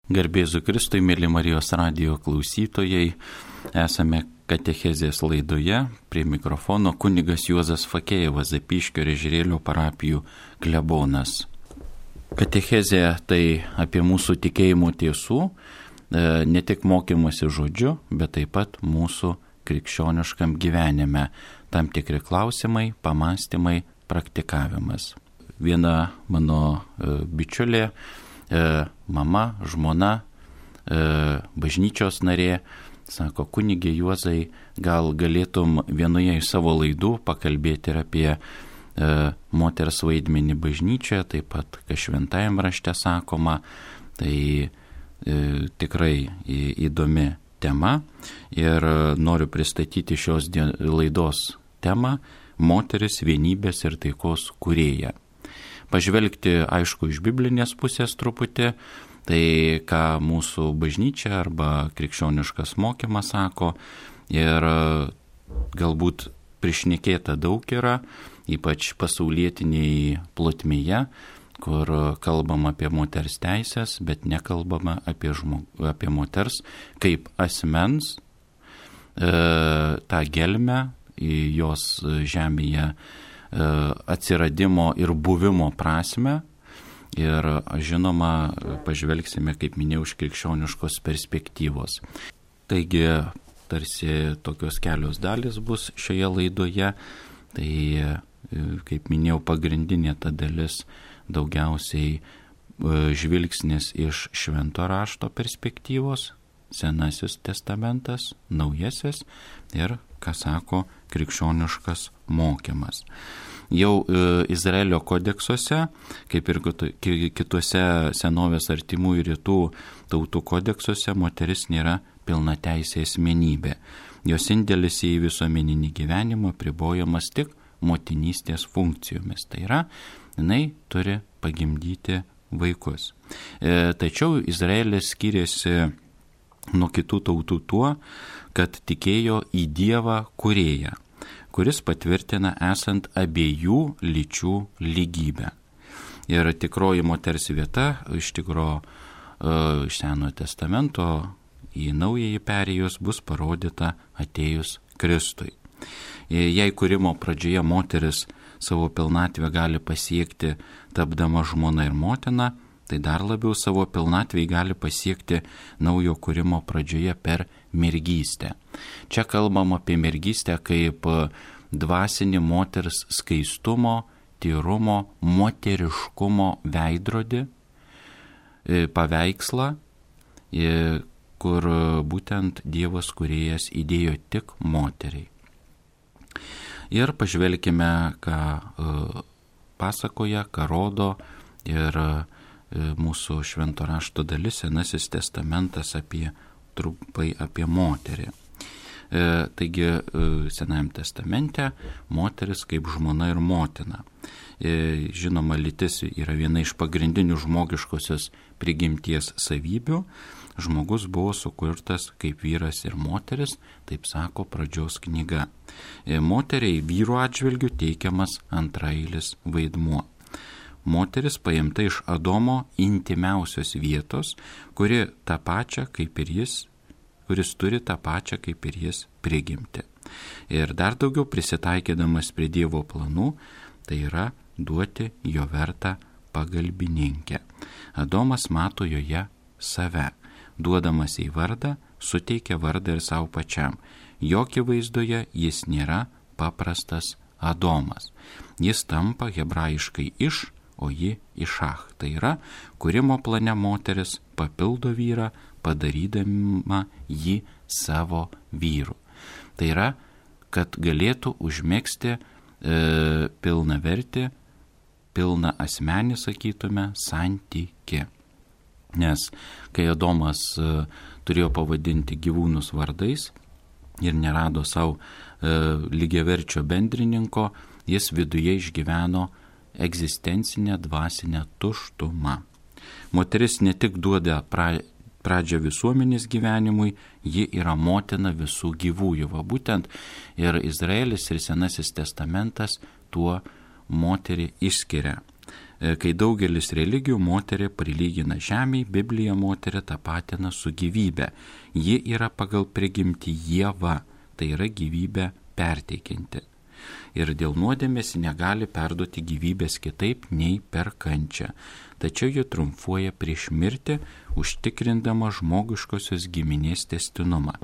Garbėzu Kristui, mėly Marijos radijo klausytojai, esame katechezės laidoje, prie mikrofono kunigas Juozas Fakėjevas, Zapyškio ir Ežerėlio parapijų klebonas. Katechezė tai apie mūsų tikėjimo tiesų, ne tik mokymosi žodžiu, bet taip pat mūsų krikščioniškam gyvenime, tam tikri klausimai, pamastymai, praktikavimas. Viena mano bičiulė, mama, žmona, bažnyčios narė, sako, kunigė Juozai, gal galėtum vienoje iš savo laidų pakalbėti ir apie moters vaidmenį bažnyčioje, taip pat, kas šventajam rašte sakoma, tai tikrai įdomi tema ir noriu pristatyti šios laidos temą moteris vienybės ir taikos kūrėja. Pažvelgti, aišku, iš biblinės pusės truputį, tai ką mūsų bažnyčia arba krikščioniškas mokymas sako ir galbūt prišnekėta daug yra, ypač pasaulietiniai plotmėje, kur kalbam apie moters teisės, bet nekalbama apie moters kaip asmens, tą gelmę į jos žemėje atsiradimo ir buvimo prasme. Ir žinoma, pažvelgsime, kaip minėjau, iš krikščioniškos perspektyvos. Taigi, tarsi tokios kelios dalis bus šioje laidoje. Tai, kaip minėjau, pagrindinė ta dalis daugiausiai žvilgsnis iš švento rašto perspektyvos, Senasis testamentas, Naujasis ir, ką sako, krikščioniškas mokymas. Jau Izraelio kodeksuose, kaip ir kituose senovės artimųjų rytų tautų kodeksuose, moteris nėra pilnateisė asmenybė. Jos indėlis į visuomeninį gyvenimą apribojamas tik motinystės funkcijomis. Tai yra, jinai turi pagimdyti vaikus. Tačiau Izraelis skiriasi nuo kitų tautų tuo, kad tikėjo į Dievą kūrėją, kuris patvirtina esant abiejų lyčių lygybę. Ir tikroji moters vieta iš Senojo testamento į Naująjį perėjus bus parodyta atėjus Kristui. Jei kūrimo pradžioje moteris savo pilnatvę gali pasiekti tapdama žmona ir motina, tai dar labiau savo pilnatvę gali pasiekti naujo kūrimo pradžioje per mergystę. Čia kalbam apie mergystę kaip dvasinį moters skaistumo, tyrumo, moteriškumo veidrodį, paveikslą, kur būtent Dievas kūrėjas įdėjo tik moteriai. Ir pažvelkime, ką pasakoja, ką rodo ir mūsų švento rašto dalis, Senasis testamentas trumpai apie moterį. Taigi, Senajame testamente moteris kaip žmona ir motina. Žinoma, lytis yra viena iš pagrindinių žmogiškosios prigimties savybių. Žmogus buvo sukurtas kaip vyras ir moteris, taip sako pradžios knyga. Moteriai vyrų atžvilgių teikiamas antraeilis vaidmuo. Moteris paimta iš Adomo intimiausios vietos, kuris turi tą pačią kaip ir jis prigimtį. Ir dar daugiau prisitaikydamas prie Dievo planų, tai yra duoti jo vertą pagalbininkę. Adomas mato joje save. Duodamas į vardą, suteikia vardą ir savo pačiam. Jo akivaizdoje jis nėra paprastas Adomas. Jis tampa hebrajiškai o ji išach. Tai yra, kūrimo plane moteris papildo vyrą, padarydama jį savo vyru. Tai yra, kad galėtų užmegzti pilnavertį, pilną asmenį, sakytume, santykį. Nes kai Adomas turėjo pavadinti gyvūnus vardais ir nerado savo lygiaverčio bendrininko, jis viduje išgyveno egzistencinę dvasinę tuštumą. Moteris ne tik duoda pradžią visuomenės gyvenimui, ji yra motina visų gyvųjų. Va būtent ir Izraelis ir Senasis testamentas tuo moterį išskiria. Kai daugelis religijų moterį prilygina žemei, Biblija moterį tapatina su gyvybe. Ji yra pagal prigimtį Ieva, tai yra gyvybę perteikianti. Ir dėl nuodėmės negali perduoti gyvybės kitaip nei per kančią. Tačiau ji triumfuoja prieš mirtį, užtikrindama žmogiškosios giminės tęstinumą.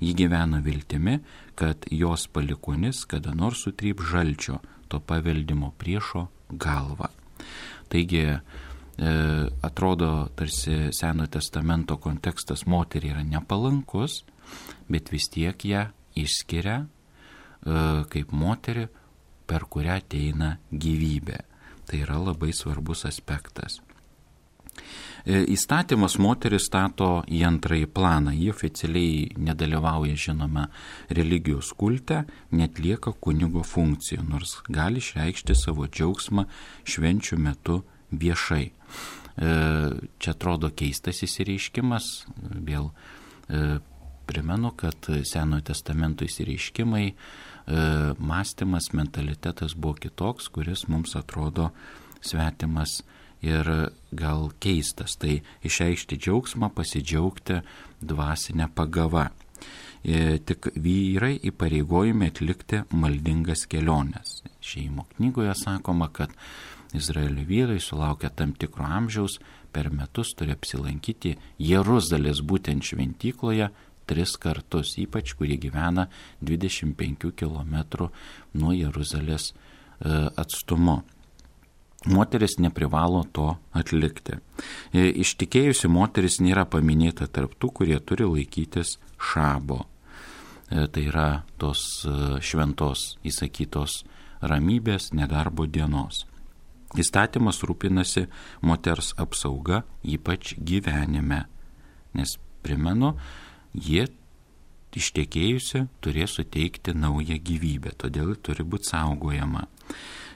Ji gyvena viltimi, kad jos palikuonis kada nors sutryp žalčio, to paveldimo priešo galvą. Taigi, atrodo, tarsi Senojo testamento kontekstas moteriai yra nepalankus, bet vis tiek ją išskiria kaip moterį, per kurią ateina gyvybė. Tai yra labai svarbus aspektas. Įstatymas moteris stato į antrąjį planą. Ji oficialiai nedalyvauja, žinoma, religijos kulte, netlieka kunigo funkcijų, nors gali išreikšti savo džiaugsmą švenčių metu viešai. Čia atrodo keistas įsireiškimas. Vėl primenu, kad Senojo testamento įsireiškimai, mąstymas, mentalitetas buvo kitoks, kuris mums atrodo svetimas ir gal keistas. Tai išreikšti džiaugsmą, pasidžiaugti dvasinę pagavą. Tik vyrai įpareigojami atlikti maldingas keliones. Šeimų knygoje sakoma, kad Izraelio vyrai sulaukia tam tikro amžiaus, per metus turi apsilankyti Jeruzalės būtent šventykloje 3 kartus, ypač kurie gyvena 25 km nuo Jeruzalės atstumu. Moteris neprivalo to atlikti. Ištikėjusi moteris nėra paminėta tarp tų, kurie turi laikytis šabo. Tai yra tos šventos įsakytos ramybės nedarbo dienos. Įstatymas rūpinasi moters apsauga, ypač gyvenime. Nes, primenu, jie ištekėjusi turės suteikti naują gyvybę, todėl turi būti saugojama.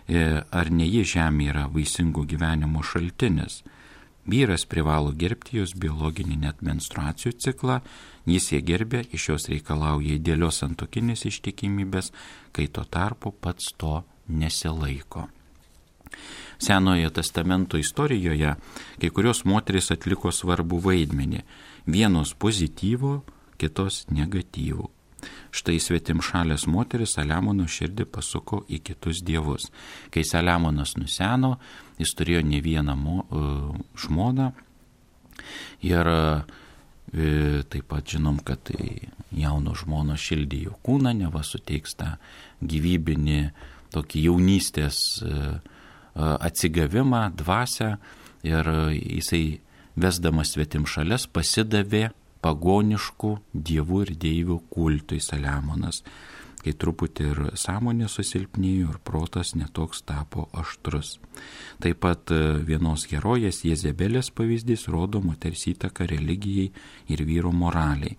Ar ne ji žemė yra vaisingų gyvenimo šaltinis? Vyras privalo gerbti jos biologinį net menstruacijų ciklą, jis ją gerbė, iš jos reikalauja idealios santuokinės ištikimybės, kai tuo tarpu pats to nesilaiko. Senojo testamento istorijoje kai kurios moterys atliko svarbų vaidmenį, vienos pozityvų, kitos negatyvų. Štai svetimšalės moteris Saliamono širdį pasuko į kitus dievus. Kai Saliamonas nuseno, jis turėjo ne vieną žmoną ir taip pat žinom, kad jauno žmono šildė jo kūną, neva suteiks tą gyvybinį tokį jaunystės atsigavimą, dvasią, ir jisai vesdamas svetimšalės pasidavė pagoniškų dievų ir deivių kultui Saliamonas, kai truputį ir sąmonė susilpnėjo ir protas netoks tapo aštrus. Taip pat vienos herojės Jezebelės pavyzdys rodo moters įtaką religijai ir vyro moraliai.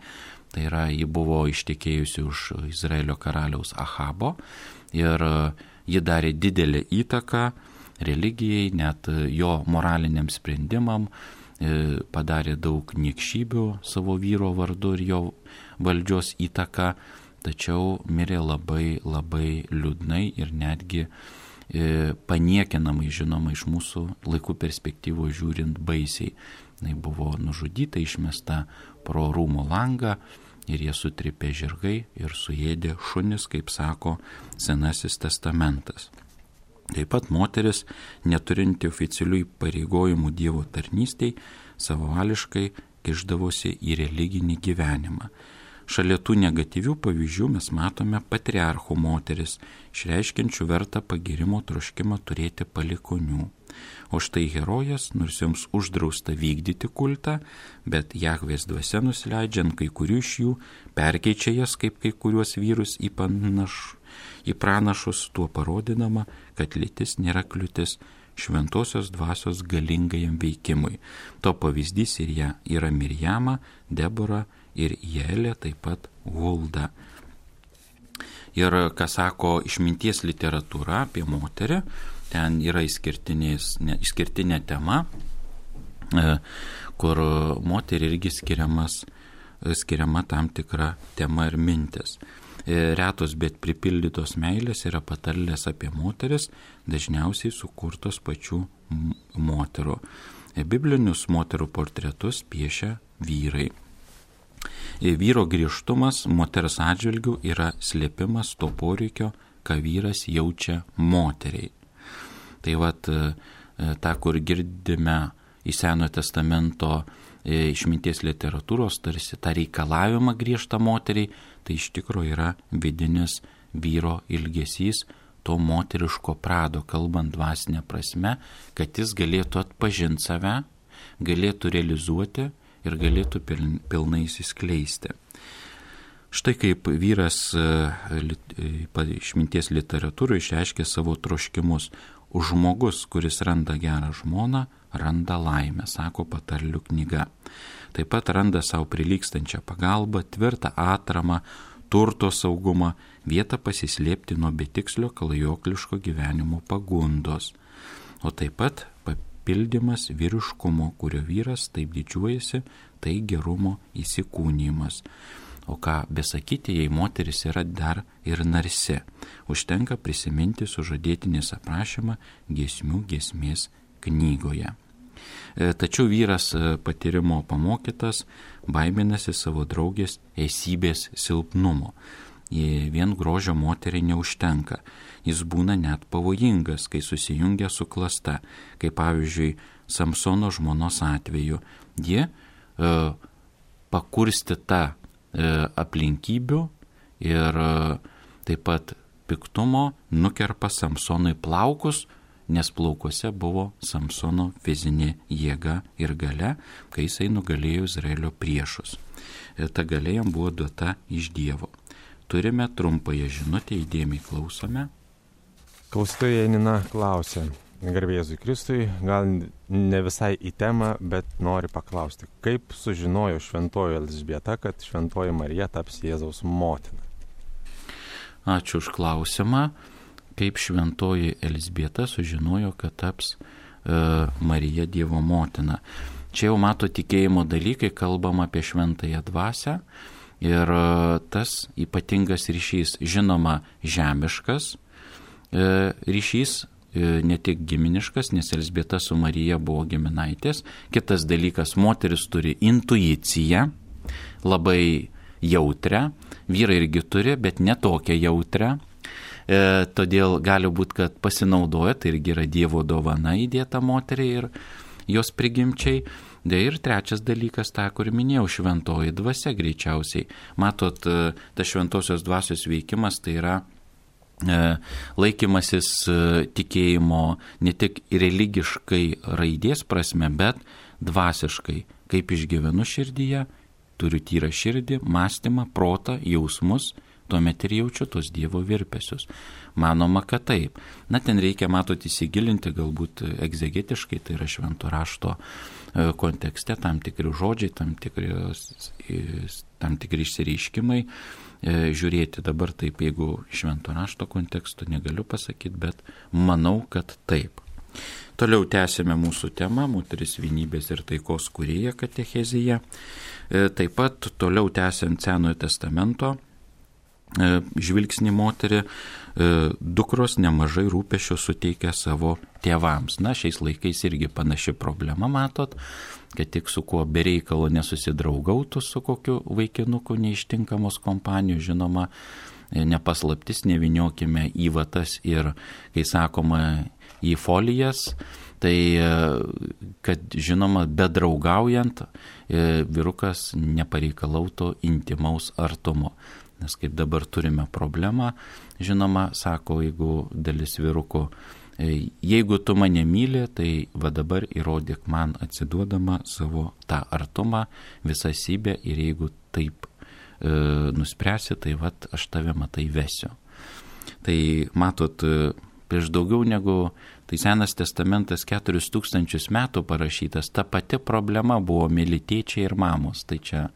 Tai yra, ji buvo ištekėjusi už Izraelio karaliaus Ahabo ir ji darė didelę įtaką religijai, net jo moraliniam sprendimam, padarė daug niekšybių savo vyro vardu ir jo valdžios įtaką, tačiau mirė labai, labai liūdnai ir netgi paniekinamai, žinoma, iš mūsų laikų perspektyvos žiūrint baisiai. Jis buvo nužudyta, išmesta pro rūmų langą ir jie sutripė žirgai ir suėdė šunis, kaip sako Senasis testamentas. Taip pat moteris, neturinti oficialių įpareigojimų Dievo tarnystei, savavališkai kišdavosi į religinį gyvenimą. Šalia tų negatyvių pavyzdžių mes matome patriarchų moteris, išreiškiančių vertą pagirimo troškimą turėti palikonių. O štai herojas, nors joms uždrausta vykdyti kultą, bet Jahvės dvasia nusileidžiant kai kurių iš jų, perkeičia jas kaip kai kuriuos vyrus į pranašus, tuo parodinama, kad lytis nėra kliūtis šventosios dvasios galingajam veikimui. To pavyzdys ir ją yra Mirjama, Debora ir Jaelė, taip pat Hulda. Ir ką sako išminties literatūra apie moterį, ten yra išskirtinė tema, kur moteriai irgi skiriama tam tikra tema ir mintis. Retos, bet pripildytos meilės yra patarlės apie moteris, dažniausiai sukurtos pačių moterų. Biblinius moterų portretus piešia vyrai. Vyro griežtumas moters atžvilgių yra slėpimas to poreikio, ką vyras jaučia moteriai. Tai vat, tą, kur girdime į Senojo testamento išminties literatūros, tarsi tą reikalavimą griežtą moteriai, tai iš tikrųjų yra vidinis vyro ilgesys, to moteriško prado, kalbant dvasinę prasme, kad jis galėtų atpažinti save, galėtų realizuoti ir galėtų pilnai įsiskleisti. Štai kaip vyras išminties literatūroje išreiškė savo troškimus. Žmogus, kuris randa gerą žmoną, randa laimę, sako patarlių knyga. Taip pat randa savo prilygstančią pagalbą, tvirtą atramą, turto saugumą, vietą pasislėpti nuo betikslio klajokliško gyvenimo pagundos. O taip pat papildymas vyriškumo, kurio vyras taip didžiuojasi, tai gerumo įsikūnymas. O ką besakyti, jei moteris yra dar ir narsi. Užtenka prisiminti sužadėtinės aprašymą giesmių giesmės knygoje. Tačiau vyras patyrimo pamokytas baiminasi savo draugės esybės silpnumo. Vien grožio moteriai neužtenka. Jis būna net pavojingas, kai susijungia su klasta, kaip pavyzdžiui Samsono žmonos atveju. Ji pakurstyta aplinkybių ir taip pat piktumo nukerpa Samsonui plaukus, nes plaukuose buvo Samsono fizinė jėga ir galia, kai jisai nugalėjo Izraelio priešus. Ta galia jam buvo duota iš Dievo. Turime trumpąją žinutę, įdėmiai klausome. Klausytoja Janina klausia, garbė Jėzui Kristui, gal ne visai į temą, bet nori paklausti, kaip sužinojo šventoji Elzbieta, kad šventoji Marija taps Jėzaus motina? Ačiū už klausimą. Kaip šventoji Elzbieta sužinojo, kad taps Marija Dievo motina. Čia jau mato tikėjimo dalykai, kalbam apie šventąją dvasią ir tas ypatingas ryšys, žinoma, žemiškas ryšys, ne tik giminiškas, nes Elzbieta su Marija buvo giminaitės. Kitas dalykas, moteris turi intuiciją, labai jautrią, vyrai irgi turi, bet ne tokią jautrią. Todėl gali būti, kad pasinaudoja, tai irgi yra Dievo dovana įdėta moteriai ir jos prigimčiai. Ir trečias dalykas, tą, kur minėjau, šventoji dvasia greičiausiai. Matot, tas šventosios dvasios veikimas tai yra laikymasis tikėjimo ne tik religiškai raidės prasme, bet dvasiškai. Kaip išgyvenu širdyje, turiu tyrą širdį, mąstymą, protą, jausmus, tuomet ir jaučiu tos Dievo virpesius. Manoma, kad taip. Na, ten reikia, matot, įsigilinti galbūt egzegetiškai, tai yra švento rašto kontekste, tam tikri žodžiai, tam tikri išsireiškimai. Žiūrėti dabar taip, jeigu švento rašto konteksto negaliu pasakyti, bet manau, kad taip. Toliau tęsime mūsų temą, moteris vienybės ir taikos kūrėja katechezija. Taip pat toliau tęsiant Senojo testamento žvilgsnį moterį, dukros nemažai rūpesčio suteikia savo tėvams. Na, šiais laikais irgi panaši problema, matot, kad tik su kuo bereikalo nesusidraugautų su kokiu vaikinuku neištinkamos kompanijos, žinoma, nepaslaptis, neviniokime į vatas ir, kai sakoma, į folijas, tai, kad, žinoma, bedraugaujant, vyrukas nepareikalautų intimaus artumo. Nes kaip dabar turime problemą, žinoma, sako, jeigu dalis vyrukų, jeigu tu mane myli, tai va dabar įrodyk man atsiduodama savo tą artumą, visą sybę ir jeigu taip nuspręsi, tai va aš tave matai vesiu. Tai matot, prieš daugiau negu, tai Senas testamentas 4000 metų parašytas, ta pati problema buvo myli tėčiai ir mamos, tai čia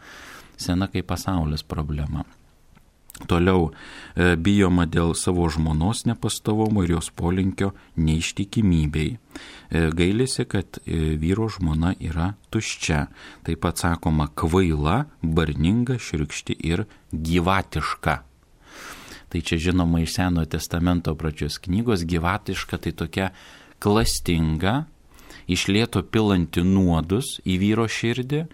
sena kaip pasaulis problema. Toliau bijoma dėl savo žmonos nepastovumo ir jos polinkio neištikimybei. Gailisi, kad vyro žmona yra tuščia. Taip pat sakoma kvaila, barninga, širkšti ir gyvatiška. tai čia žinoma iš Senojo testamento pradžios knygos, gyvatiška tai tokia klastinga, iš lėto pilanti nuodus į vyro širdį,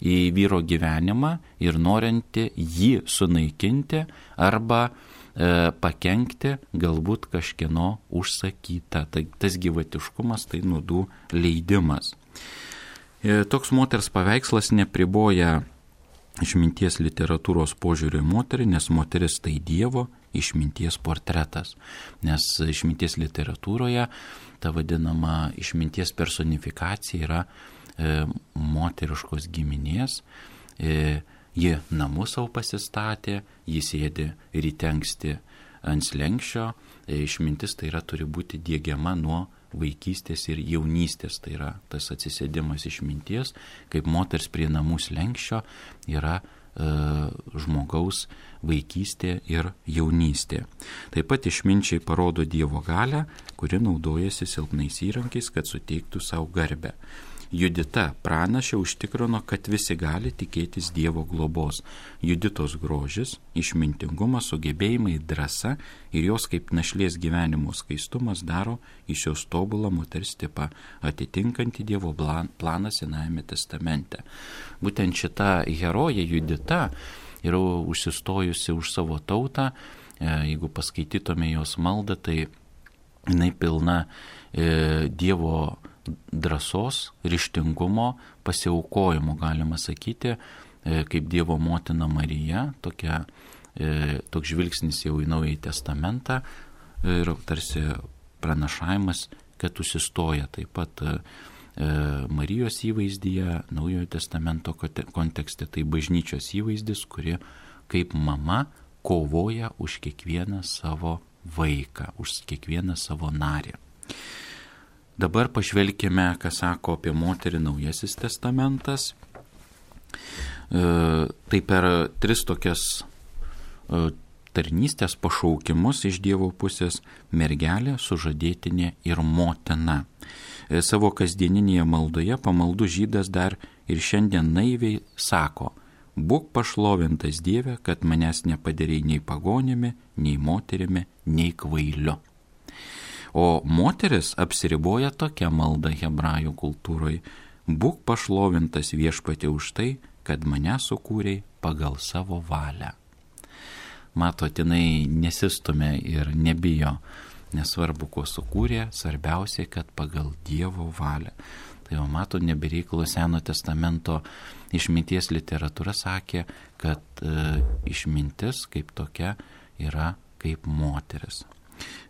į vyro gyvenimą ir norinti jį sunaikinti arba pakenkti galbūt kažkieno užsakyta. Tai tas gyvatiškumas tai nuodų leidimas. Toks moters paveikslas nepriboja išminties literatūros požiūrio į moterį, nes moteris tai Dievo išminties portretas. Nes išminties literatūroje ta vadinama išminties personifikacija yra moteriškos giminės. Ji namus savo pasistatė, ji sėdi ryte anksti ant slenksčio. Išmintis tai yra turi būti diegiama nuo vaikystės ir jaunystės, tai yra tas atsisėdimas išminties, kaip moters prie namų slenksčio yra žmogaus vaikystė ir jaunystė. Taip pat išminčiai parodo Dievo galią, kuri naudojasi silpnais įrankiais, kad suteiktų savo garbę. Judita pranašė užtikrino, kad visi gali tikėtis Dievo globos. Juditos grožis, išmintingumas, sugebėjimai, drąsa ir jos kaip našlės gyvenimo skaistumas daro iš jos tobulą moters tipą, atitinkantį Dievo planą Senajame testamente. Būtent šita herojė Judita yra užsistojusi už savo tautą. Jeigu paskaitytume jos maldą, tai jinai pilna Dievo drąsos, ryžtingumo, pasiaukojimo, galima sakyti, kaip Dievo motina Marija, toks žvilgsnis jau į Naująjį testamentą ir tarsi pranašavimas, kad užsistoja taip pat Marijos įvaizdyje, Naujojo testamento kontekste, tai bažnyčios įvaizdis, kuri kaip mama kovoja už kiekvieną savo vaiką, už kiekvieną savo narį. Dabar pažvelkime, ką sako apie moterį Naujasis testamentas. Tai per 3 tokias tarnystės pašaukimus iš Dievo pusės: mergelė, sužadėtinė ir motina. Savo kasdieninėje maldoje pamaldų žydas dar ir šiandien naiviai sako: būk pašlovintas Dieve, kad manęs nepadarei nei pagonimi, nei moterimi, nei kvailiu. O moteris apsiriboja tokia malda hebrajų kultūroje: būk pašlovintas Viešpatie už tai, kad mane sukūrei pagal savo valią. Matot, jinai nesistumia ir nebijo, nesvarbu, ko sukūrė, svarbiausia, kad pagal Dievo valią. Tai jau mato, nebereikalo Seno testamento išminties literatūra sakė, kad išmintis kaip tokia yra kaip moteris.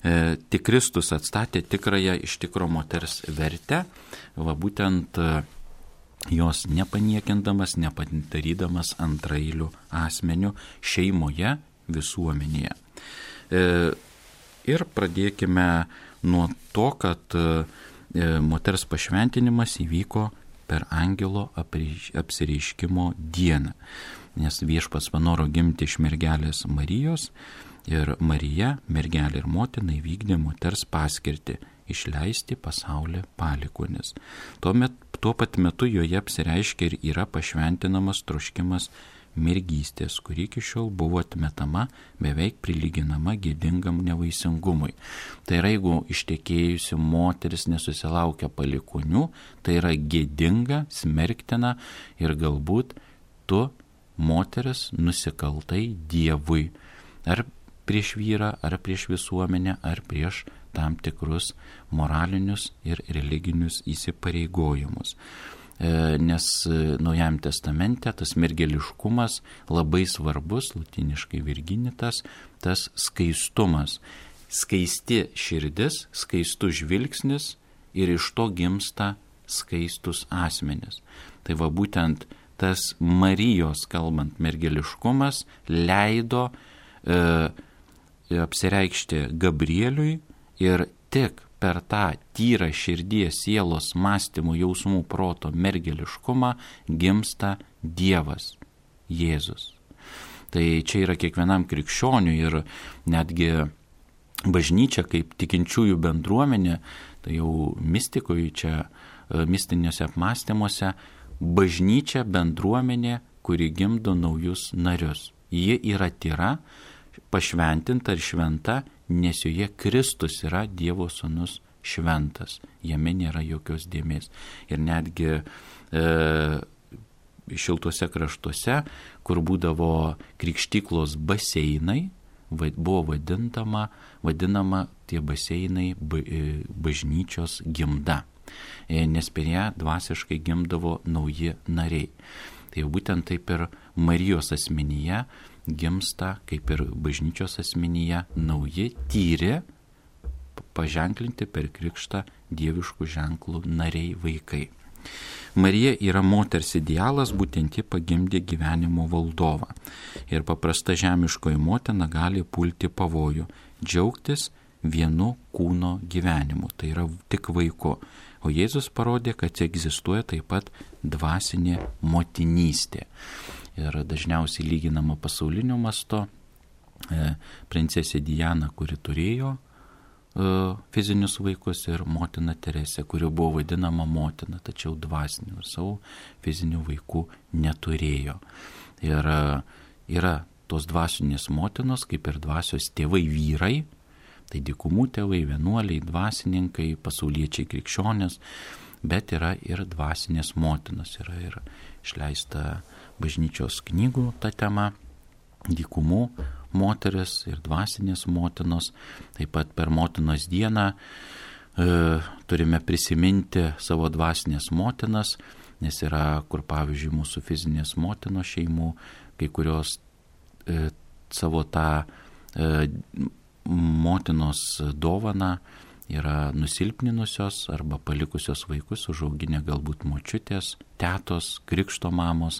Tik Kristus atstatė tikrąją iš tikro moters vertę, va būtent jos nepaniekindamas, nepadarydamas antraeilių asmenių šeimoje, visuomenėje. Ir pradėkime nuo to, kad moters pašventinimas įvyko per angelo apsireiškimo dieną, nes Viešpats panoro gimti iš mergelės Marijos. Ir Marija, mergelė ir motina, įvykdė moters paskirtį – išleisti pasaulį palikuonis. Tuo pat metu joje apsireiškia ir yra pašventinamas troškimas mergystės, kuri iki šiol buvo atmetama, beveik prilyginama gėdingam nevaisingumui. Tai yra, jeigu ištekėjusi moteris nesusilaukia palikuonių, tai yra gėdinga, smerktina ir galbūt tu, moteris, nusikaltai Dievui. Ar prieš vyrą, ar prieš visuomenę, ar prieš tam tikrus moralinius ir religinius įsipareigojimus. Nes Naujajame testamente tas mergeliškumas labai svarbus, lotyniškai virginitas, tas skaistumas. Skaisti širdis, skaistus žvilgsnis ir iš to gimsta skaistus asmenis. Tai va būtent tas Marijos, kalbant, mergeliškumas leido apsireikšti Gabrieliui ir tik per tą tyrą širdies, sielos, mąstymų, jausmų, proto, mergeliškumą gimsta Dievas, Jėzus. Tai čia yra kiekvienam krikščioniui ir netgi bažnyčia kaip tikinčiųjų bendruomenė, tai jau mistikoje čia, mistiniuose apmąstymuose, bažnyčia bendruomenė, kuri gimdo naujus narius. Ji yra tyra, pašventinta ir šventa, nes joje Kristus yra Dievo sūnus šventas. Jame nėra jokios dėmės. Ir netgi šiltuose kraštuose, kur būdavo krikštyklos baseinai, buvo vadinama tie baseinai bažnyčios gimda, nes per ją dvasiškai gimdavo nauji nariai. Tai būtent taip ir Marijos asmenyje gimsta, kaip ir bažnyčios asmenyje, nauji, tyri, paženklinti per krikštą dieviškų ženklų nariai, vaikai. Marija yra moters idealas, būtent ji pagimdė gyvenimo valdovą. Ir paprasta žemiškoji motina gali pulti pavojų, džiaugtis vienu kūno gyvenimu, tai yra tik vaiku. O Jėzus parodė, kad egzistuoja taip pat dvasinė motinystė. Ir dažniausiai lyginama pasauliniu mastu princesė Diana, kuri turėjo fizinius vaikus, ir motina Teresė, kuri buvo vadinama motina, tačiau dvasinių ir savo fizinių vaikų neturėjo. Ir yra tos dvasinės motinos, kaip ir dvasios tėvai vyrai, tai dykumų tėvai, vienuoliai, dvasininkai, pasauliečiai, krikščionės, bet yra ir dvasinės motinos, yra ir išleista bažnyčios knygų ta tema, dykumų moteris ir dvasinės motinos. Taip pat per motinos dieną turime prisiminti savo dvasinės motinas, nes yra, kur pavyzdžiui mūsų fizinės motinos šeimų, kai kurios savo tą motinos dovaną yra nusilpninusios arba palikusios vaikus, užauginę galbūt močiutės, tetos, krikšto mamos,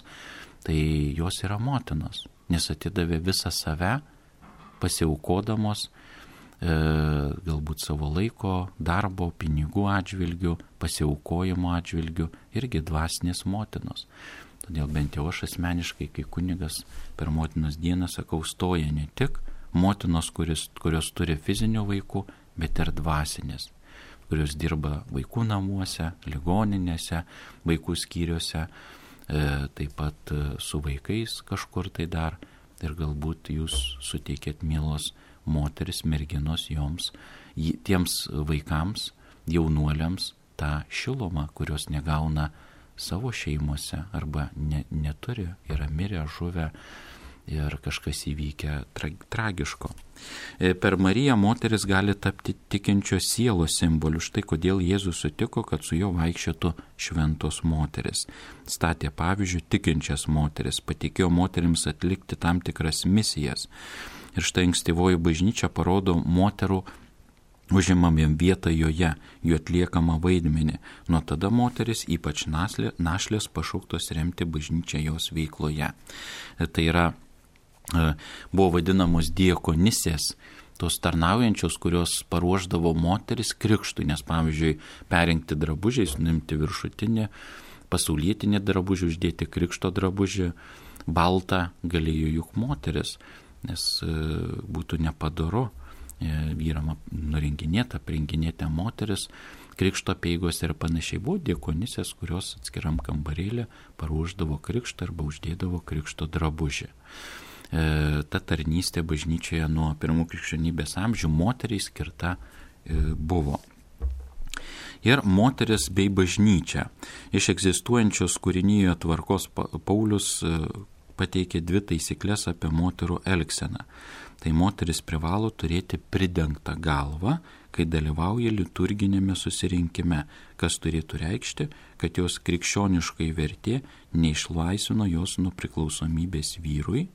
tai jos yra motinos, nes atidavė visą save, pasiaukodamos galbūt savo laiko, darbo, pinigų atžvilgių, pasiaukojimo atžvilgių, irgi dvasinės motinos. Todėl bent jau aš asmeniškai, kai kunigas per motinos dieną sakau, stoja ne tik motinos, kurios turi fizinių vaikų, bet ir dvasinės, kurios dirba vaikų namuose, ligoninėse, vaikų skyriuose, taip pat su vaikais kažkur tai dar. Ir galbūt jūs suteikėt, mielos moteris, merginos, joms, tiems vaikams, jaunuoliams, tą šilumą, kurios negauna savo šeimose arba neturi, yra mirę, žuvę ir kažkas įvykę tragiško. Per Mariją moteris gali tapti tikinčios sielos simboliu. Štai kodėl Jėzus sutiko, kad su juo vaikščiotų šventos moteris. Statė pavyzdžiui tikinčias moteris, patikėjo moterims atlikti tam tikras misijas. Ir štai ankstyvoji bažnyčia parodo moterų užimamiem vietą joje, jų atliekamą vaidmenį. Nuo tada moteris, ypač našlės, pašauktos remti bažnyčią jos veikloje. Tai yra, buvo vadinamos diakonisės, tos tarnaujančios, kurios paruošdavo moteris krikštui, nes pavyzdžiui, perrinkti drabužiais, nuimti viršutinį, pasaulietinį drabužį, uždėti krikšto drabužį, baltą galėjo juk moteris, nes būtų nepadoru vyram nurenginėta, aprenginėta moteris, krikšto peigos ir panašiai. Buvo diakonisės, kurios atskiram kambarėlį paruošdavo krikštą arba uždėdavo krikšto drabužį. Ta tarnystė bažnyčioje nuo pirmų krikščionybės amžių moteriai skirta buvo. Ir moteris bei bažnyčia. Iš egzistuojančios kūrinyje tvarkos Paulius pateikė 2 taisyklės apie moterų elgseną. Tai moteris privalo turėti pridengtą galvą, kai dalyvauja liturginėme susirinkime, kas turėtų reikšti, kad jos krikščioniškai vertė neišlaisvino jos nuo priklausomybės vyrui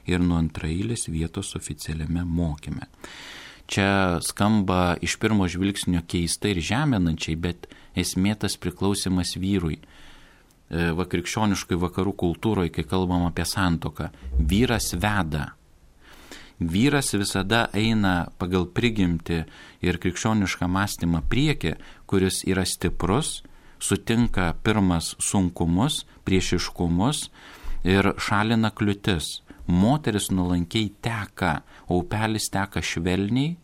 ir nuo antraeilės vietos oficialiame mokyme. Čia skamba iš pirmo žvilgsnio keistai ir žeminančiai, bet esmė tas priklausimas vyrui. Krikščioniškai vakarų kultūroje, kai kalbam apie santuoką, vyras veda. Vyras visada eina pagal prigimtį ir krikščionišką mąstymą priekį, kuris yra stiprus, sutinka pirmas sunkumus, priešiškumus ir šalina kliūtis. Moteris nuolankiai teka, o upelis teka švelniai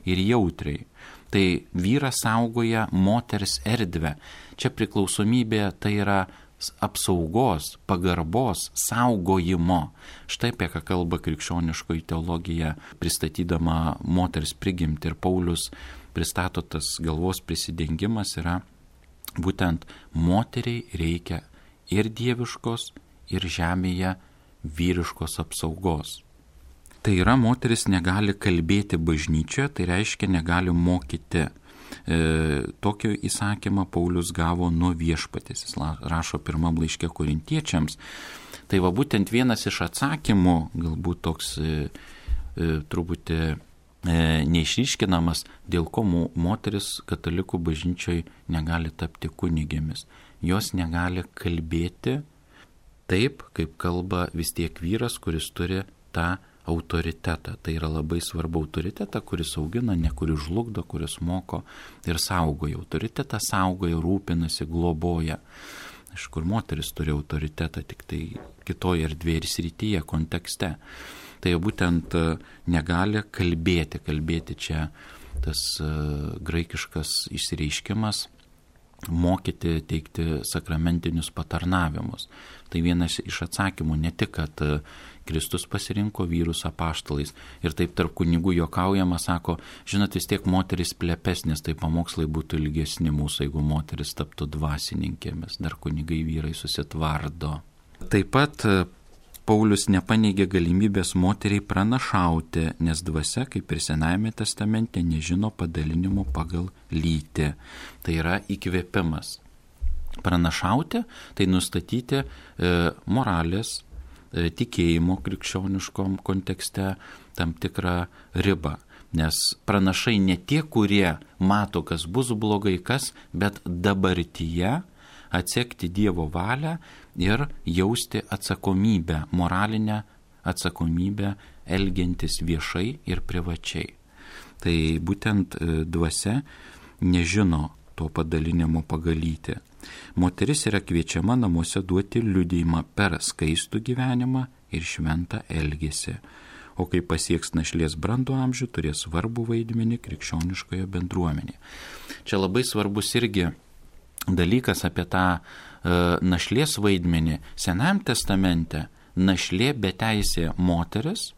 ir jautriai. Tai vyras saugoja moters erdvę. Čia priklausomybė tai yra apsaugos, pagarbos, saugojimo. Štai apie ką kalba krikščioniškoji teologija, pristatydama moters prigimtį. Ir Paulius pristato tas galvos prisidengimas yra būtent moteriai reikia ir dieviškos, ir žemėje vyriškos apsaugos. Tai yra, moteris negali kalbėti bažnyčioje, tai reiškia negali mokyti. Tokio įsakymą Paulius gavo nuo Viešpaties. Jis rašo pirmam laiške Korintiečiams. Tai va būtent vienas iš atsakymų, galbūt toks truputį neišryškinamas, dėl ko moteris katalikų bažnyčioj negali tapti kunigėmis. Jos negali kalbėti taip, kaip kalba vis tiek vyras, kuris turi tą autoritetą. Tai yra labai svarbu autoritetą, kuris augina, ne kuris žlugdo, kuris moko ir saugoja. Autoritetą saugoja, rūpinasi, globoja. Iš kur moteris turi autoritetą, tik tai kitoje erdvėje ir srityje, kontekste. Tai būtent negali kalbėti čia tas graikiškas išsireiškimas, mokyti, teikti sakramentinius patarnavimus. Tai vienas iš atsakymų, ne tik, kad Kristus pasirinko vyrus apaštalais ir taip tarp kunigų juokaujama, sako, žinot, vis tiek moteris plepesnės, tai pamokslai būtų ilgesni mūsų, jeigu moteris taptų dvasininkėmis, dar kunigai vyrai susitvardo. Taip pat Paulius nepaneigė galimybės moteriai pranašauti, nes dvasia, kaip ir Senajame testamente, nežino padalinimo pagal lytį. Tai yra įkvėpimas. Pranašauti, tai nustatyti moralės, tikėjimo krikščioniškom kontekste tam tikrą ribą. Nes pranašai ne tie, kurie mato, kas bus blogai, bet dabartyje atsekti Dievo valią ir jausti atsakomybę, moralinę atsakomybę, elgiantis viešai ir privačiai. Tai būtent dvasia nežino to padalinimo pagal lytį. Moteris yra kviečiama namuose duoti liudijimą per skaistų gyvenimą ir šventą elgesį. O kai pasieks našlės brandų amžių, turės svarbų vaidmenį krikščioniškoje bendruomenėje. Čia labai svarbus irgi dalykas apie tą našlės vaidmenį. Senajame testamente našlė beteisė moteris,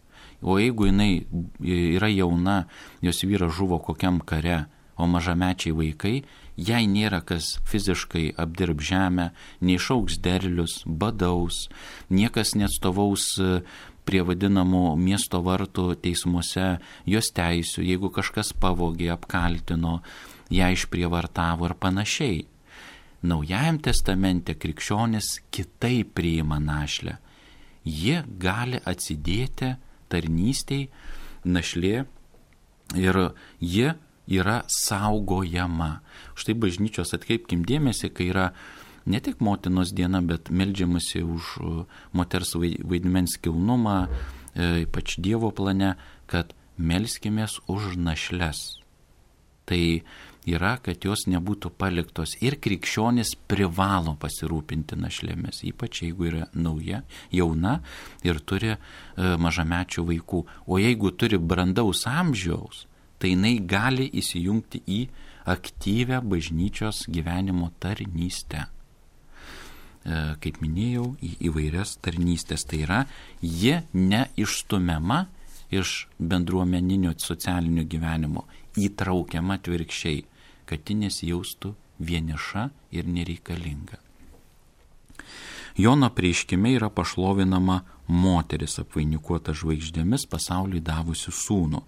o jeigu jinai yra jauna, jos vyras žuvo kokiam kare, o mažamečiai vaikai, jai nėra kas fiziškai apdirb žemę, neišaugs derlius, badaus, niekas neatstovaus prie vadinamų miesto vartų teismuose jos teisių, jeigu kažkas pavogė, apkaltino, ją išprievartavo ir panašiai. Naujajam testamente krikščionis kitaip priima našlę. Ji gali atsidėti tarnystei, našlė, ir ji yra saugojama. Štai bažnyčios, atkreipkim dėmesį, kai yra ne tik motinos diena, bet meldžiamasi už moters vaidmens kilnumą, ypač Dievo plane, kad melskimės už našles. Tai yra, kad jos nebūtų paliktos, ir krikščionis privalo pasirūpinti našlėmis, ypač jeigu yra nauja, jauna ir turi mažamečių vaikų. O jeigu turi brandaus amžiaus, tai jinai gali įsijungti į aktyvę bažnyčios gyvenimo tarnystę. Kaip minėjau, į įvairias tarnystės. Tai yra, ji neišstumiama iš bendruomeninio socialinio gyvenimo, įtraukiama atvirkščiai, kad ji nesijaustų vieniša ir nereikalinga. Jono apreiškime yra pašlovinama moteris apvainikuota žvaigždėmis pasauliui davusi sūnų,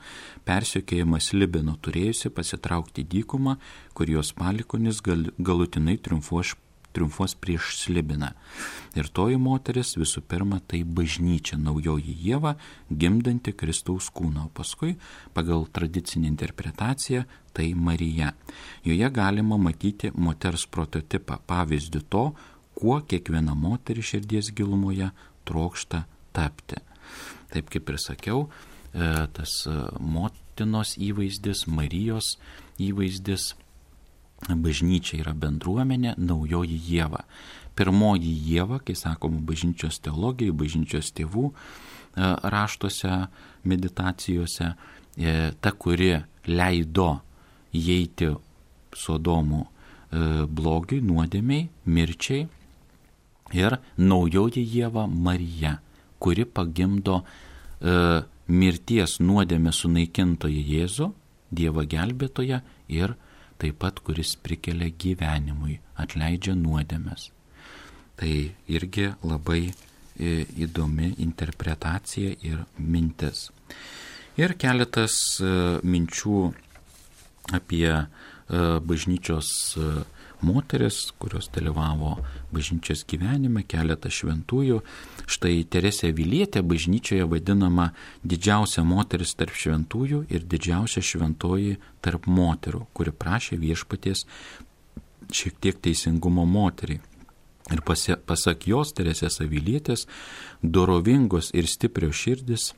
persekiojamas Libino turėjusi pasitraukti dykumą, kur jos palikuonis galutinai triumfuos prieš Slibiną. Ir toji moteris visų pirma tai bažnyčia, naujoji Ieva, gimdanti Kristaus kūną, o paskui pagal tradicinę interpretaciją tai Marija. Joje galima matyti moters prototipą, pavyzdį to, kuo kiekviena moteris širdies gilumoje trokšta tapti. Taip kaip ir sakiau, tas motinos įvaizdis, Marijos įvaizdis, bažnyčia yra bendruomenė, naujoji Ieva. Pirmoji Ieva, kai sakoma bažnyčios teologijai, bažnyčios tėvų raštuose, meditacijose, ta, kuri leido įeiti Sodomų blogiui, nuodėmiai, mirčiai, ir naujoji Ieva Marija, kuri pagimdo mirties nuodėmę sunaikintoją Jėzų, Dievą gelbėtoją ir taip pat kuris prikelia gyvenimui, atleidžia nuodėmes. Tai irgi labai įdomi interpretacija ir mintis. Ir keletas minčių apie bažnyčios moteris, kurios dalyvavo bažnyčios gyvenime, keletą šventųjų. Štai Teresė Avilietė bažnyčioje vadinama didžiausia moteris tarp šventųjų ir didžiausia šventoji tarp moterų, kuri prašė viešpaties šiek tiek teisingumo moteriai. Ir pasak jos, Teresės Avilietės, dorovingos ir stiprios širdis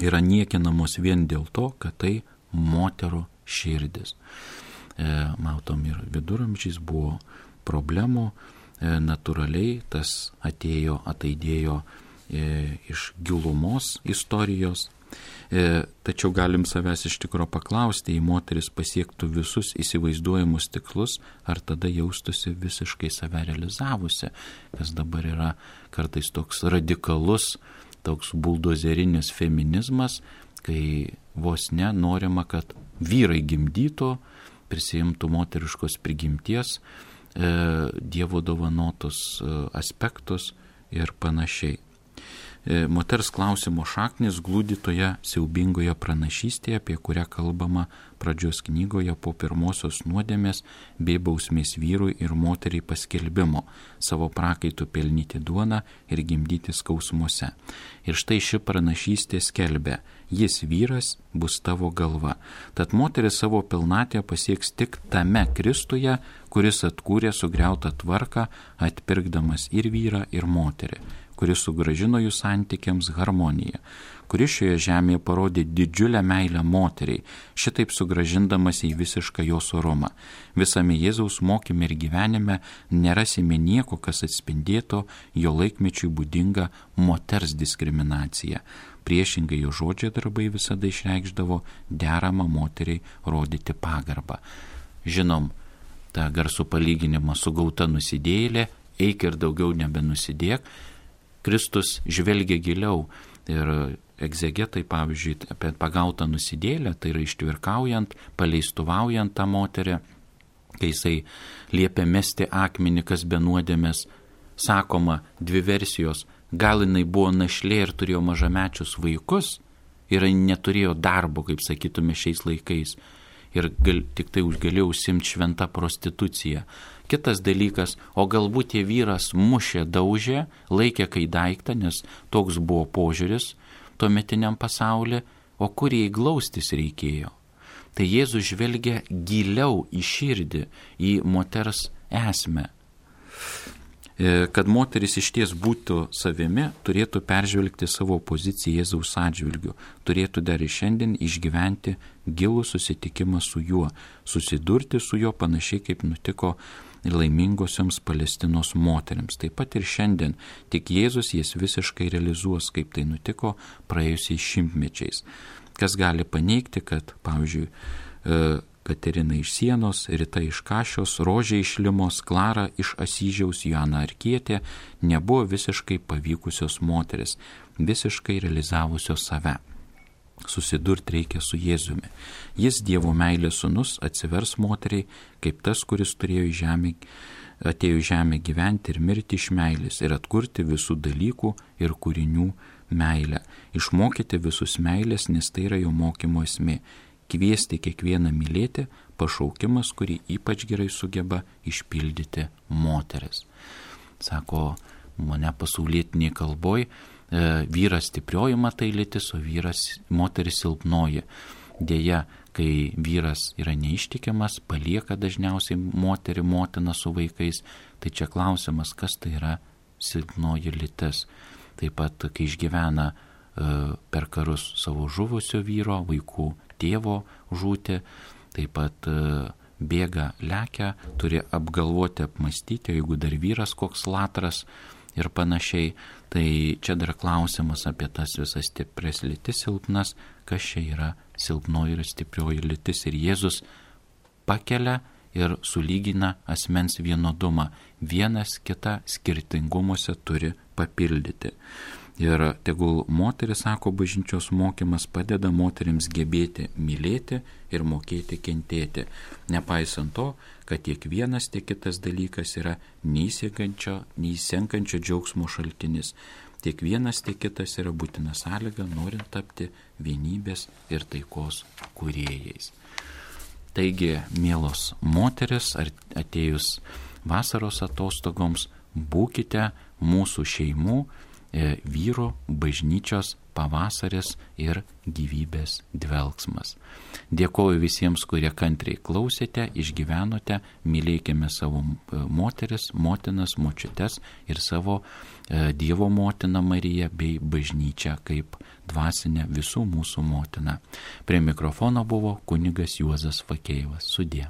yra niekinamos vien dėl to, kad tai moterų širdis. Matom, ir viduramžiais buvo problemų, natūraliai tas ataidėjo iš gilumos istorijos. Tačiau galim savęs iš tikro paklausti, jei moteris pasiektų visus įsivaizduojamus tikslus, ar tada jaustųsi visiškai save realizavusi, kas dabar yra kartais toks radikalus, toks buldozerinis feminizmas, kai vos norima, kad vyrai gimdytų, prisijimtų moteriškos prigimties, Dievo dovanotus aspektus ir panašiai. Moters klausimo šaknis glūdi toje siaubingoje pranašystėje, apie kurią kalbama pradžios knygoje po pirmosios nuodėmės bei bausmės vyrui ir moteriai paskelbimo, savo prakaitų pelnyti duoną ir gimdyti skausmuose. Ir štai ši pranašystė skelbia: jis vyras bus tavo galva. Tad moteris savo pilnatvę pasieks tik tame Kristuje, kuris atkūrė sugriautą tvarką, atpirkdamas ir vyrą, ir moterį, kuris sugrąžino jų santykiams harmoniją, kuris šioje žemėje parodė didžiulę meilę moteriai, šitaip sugrąžindamas į visišką jos orumą. Visame Jėzaus mokyme ir gyvenime nerasime nieko, kas atspindėtų jo laikmečiui būdingą moters diskriminaciją. Priešingai jo žodžiai darbai visada išreikšdavo deramą moteriai rodyti pagarbą. Žinom, tą garsų palyginimą su gauta nusidėjėlė, eik ir daugiau nebenusidėk. Kristus žvelgia giliau ir egzegetai, pavyzdžiui, apie pagautą nusidėlę, tai yra ištvirkaujant, paleistuvaujant tą moterį, kai jisai liepia mesti akmenį, kas be nuodėmės, sakoma dvi versijos: gal jinai buvo našlė ir turėjo mažamečius vaikus ir neturėjo darbo, kaip sakytume šiais laikais, ir tik tai galėjo užsimti šventą prostituciją. Kitas dalykas, o galbūt tie vyras mušė, daužė, laikė kai daiktą, nes toks buvo požiūris tuometiniam pasaulyje, o kur jai glaustis reikėjo. Tai Jėzus žvelgia giliau į širdį, į moters esmę. Kad moteris išties būtų savimi, turėtų peržvelgti savo poziciją Jėzaus atžvilgiu, turėtų dar ir šiandien išgyventi gilų susitikimą su juo, susidurti su juo panašiai kaip nutiko laimingosioms Palestinos moteriams. Taip pat ir šiandien, tik Jėzus jas visiškai realizuos, kaip tai nutiko praėjusiais šimtmečiais. Kas gali paneigti, kad, pavyzdžiui, Katerina iš Sienos, Rita iš Kašios, Rožė iš Limos, Klara iš Asyžiaus, Joana Arkietė nebuvo visiškai pavykusios moteris, visiškai realizavusios save. Susidurti reikia su Jėzumi. Jis, Dievo meilės sūnus, atsivers moteriai, kaip tas, kuris atėjo į žemę gyventi ir mirti iš meilės ir atkurti visų dalykų ir kūrinių meilę. Išmokyti visus meilės, nes tai yra jo mokymo esmė. Kviesti kiekvieną mylėti, pašaukimas, kurį ypač gerai sugeba išpildyti moteris. Sako, mane pasaulietinėje kalboje vyras stiprioji matai lytis, o moteris silpnoji. Deja, kai vyras yra neištikimas, palieka dažniausiai moterį, motiną su vaikais, tai čia klausimas, kas tai yra silpnoji lytis. Taip pat, kai išgyvena per karus savo žuvusio vyro, vaikų tėvo žūti, taip pat bėga, lekia, turi apgalvoti, apmastyti, jeigu dar vyras koks latras ir panašiai. Tai čia dar klausimas apie tas visas stipres lytis, silpnas, kas čia yra silpnoji ir stiprioji lytis. Ir Jėzus pakelia ir sulygina asmens vienodumą. Vienas kitą skirtingumuose turi papildyti. Ir tegul moteris, sako bažnyčios mokymas, padeda moterims gebėti mylėti ir mokėti kentėti. Nepaisant to, kad tiek vienas, tiek kitas dalykas yra neįsenkančio džiaugsmo šaltinis. Tiek vienas, tiek kitas yra būtina sąlyga, norint tapti vienybės ir taikos kūrėjais. Taigi, mielos moteris, atėjus vasaros atostogoms, būkite mūsų šeimų, vyro bažnyčios pavasaris ir gyvybės dvelksmas. Dėkoju visiems, kurie kantriai klausėte, išgyvenote, mylėkime savo moteris, motinas, močiutes ir savo Dievo motiną Mariją bei bažnyčią kaip dvasinę visų mūsų motiną. Prie mikrofono buvo kunigas Juozas Fakėjevas. Sudie.